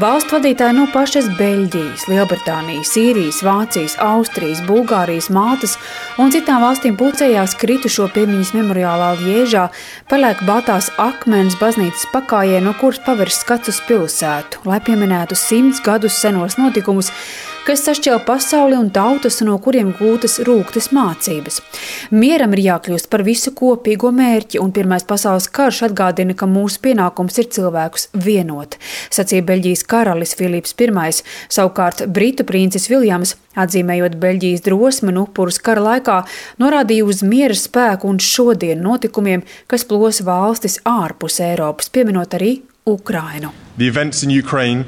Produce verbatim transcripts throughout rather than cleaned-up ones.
Valstu vadītāji no pašas Beļģijas, Lielbritānijas, Sīrijas, Vācijas, Austrijas, Bulgārijas, Maltas un citām valstīm pulcējās kritušo piemiņas memoriālā Ļiežā, paliek baltās akmens baznīcas pakājē, no kuras pavērs skats uz pilsētu, lai pieminētu simts gadus senos notikumus, kas sašķēla pasauli un tautas, no kuriem gūtas rūgtas mācības. Mieram ir jākļūst par visu kopīgo mērķi, un Pirmais pasaules karš atgādina, ka mūsu pienākums ir cilvēkus vienot, sacīja Beļģijas karalis Filips Pirmais. Savukārt Britu princis Viljams, atzīmējot Beļģijas drosmi un upurus kara laikā, norādīja uz miera spēku un šodien notikumiem, kas plos valstis ārpus Eiropas, pieminot arī Ukrainu. The events in Ukraine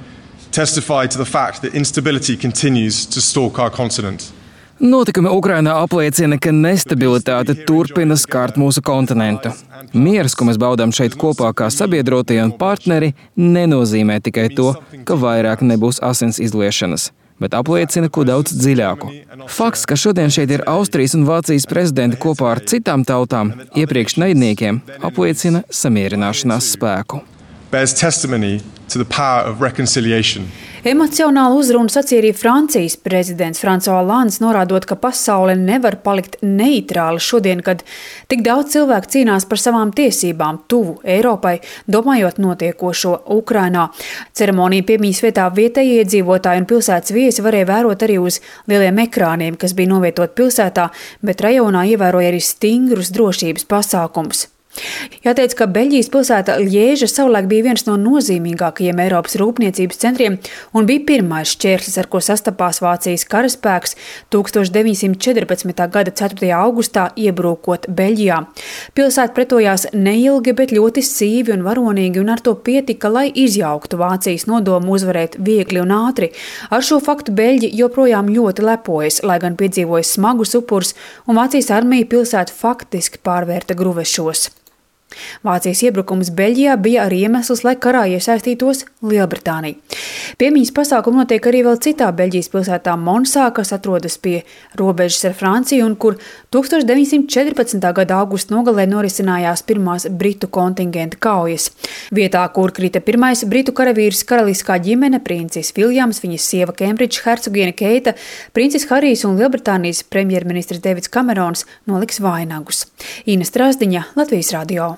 testify to the fact that instability continues to stalk our continent. Notikumi Ukrainā apliecina, ka nestabilitāte turpina skart mūsu kontinentu. Mieras, ko mēs baudām šeit kopā kā sabiedrotie un partneri, nenozīmē tikai to, ka vairāk nebūs asins izliešanas, bet apliecina ko daudz dziļāku. Fakts, ka šodien šeit ir Austrijas un Vācijas prezidenti kopā ar citām tautām, iepriekš naidniekiem, apliecina samierināšanās spēku. Bears testimony to the power of reconciliation. Emocionālu uzrunu sacīja arī Francijas prezidents François Hollands, norādot, ka pasaule nevar palikt neitrāla šodien, kad tik daudz cilvēku cīnās par savām tiesībām tuvu Eiropai, domājot notiekošo Ukrainā. Ceremoniju piemiņas vietā vietējie iedzīvotāji un pilsētas viesi varēja vērot arī uz lieliem ekrāniem, kas bija novietot pilsētā, bet rajonā ievēroja arī stingrus drošības pasākumus. Jāteic, ka Beļģijas pilsēta Ļieža savulaik bija viens no nozīmīgākajiem Eiropas rūpniecības centriem un bija pirmais šķērslis, ar ko sastapās Vācijas karaspēks tūkstoš deviņsimt četrpadsmitā gada ceturtajā augustā iebrūkot Beļģijā. Pilsēta pretojās neilgi, bet ļoti sīvi un varonīgi, un ar to pietika, lai izjauktu Vācijas nodomu uzvarēt viegli un ātri. Ar šo faktu Beļģi joprojām ļoti lepojas, lai gan piedzīvoja smagus upurus, un Vācijas armija pilsētu faktiski pārvērta gruvešos. Vācijas iebrukums Beļģijā bija arī iemesls, lai karā iesaistītos Lielbritānija. Piemiņas pasākumi notiek arī vēl citā Beļģijas pilsētā Monsā, kas atrodas pie robežas ar Franciju un kur tūkstoš deviņsimt četrpadsmitā gada augusta nogalē norisinājās pirmās britu kontingenta kaujas. Vietā, kur krita pirmais britu karavīrs, karaliskā ģimene, princis Viljams, viņas sieva Kembridžas hercogiene Keita, princis Harijs un Lielbritānijas premjerministrs Deivids Kamerons noliks vainagus. Ina Strasdiņa, Latvijas radio.